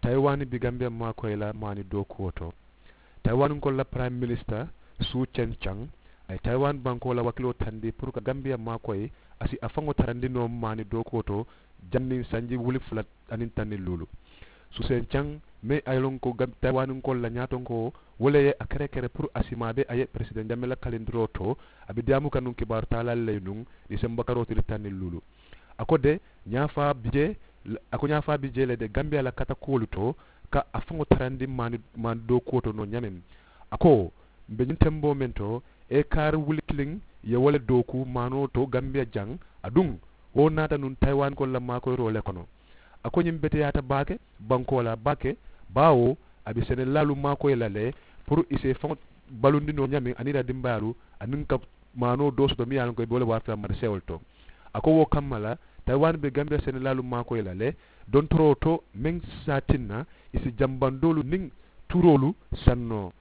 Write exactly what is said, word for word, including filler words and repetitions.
Tayiwaani bi gambiya maakoyi la maani dookuwo to. Tayiwaani nkolu la piraayim minisita suu ceŋ caŋ a ye tayiwaani bankoo la wakiloo tandi puru ka gambiya maakoyi a si a faŋo tarandi noo maani dookuwo to. Janniŋ sanji wuli fula aniŋ tanniŋ luulu suu ceŋ caŋ meŋ a ye loŋ ko tayiwaani nkolu la ñaatonkoo wo le ye a kerekere puru a si maa be a ye peresideŋ jamela kalindiroo to. A be diyaamu ka nuŋ kibaaru taalaalu le ye nuŋ disemba karoo tili tanniŋ luulu. A ko de ñaafaa bi jee a ko ñaafaa bi jee le de gambiya la katakuwolu to ka a faŋo tarandi maani maani dookuwo to noo ñameŋ. A ko mbe ñiŋ temboo meŋ to ekaari wuli kiliŋ ye wo le dooku maanoo to gambiya jaŋ. Aduŋ wo naata nuŋ tayiwaani kolu la maakoyiroo le kono. A ko ñiŋ beteyaata baake bankoo la baake baawo a be senelaalu maakoyi la le puru i si i faŋo balundi noo ñaamiŋ aniŋ i la dimbayaalu aniŋ ka maanoo doo soto miŋ ye a loŋ ko i be wo le warata la marisewolu to. A ko wo kamma la tayiwaani be gambiya senelaalu maakoyi la le dontoroo to meŋ si a tinna i si jambandoolu niŋ turoolu saŋ noo.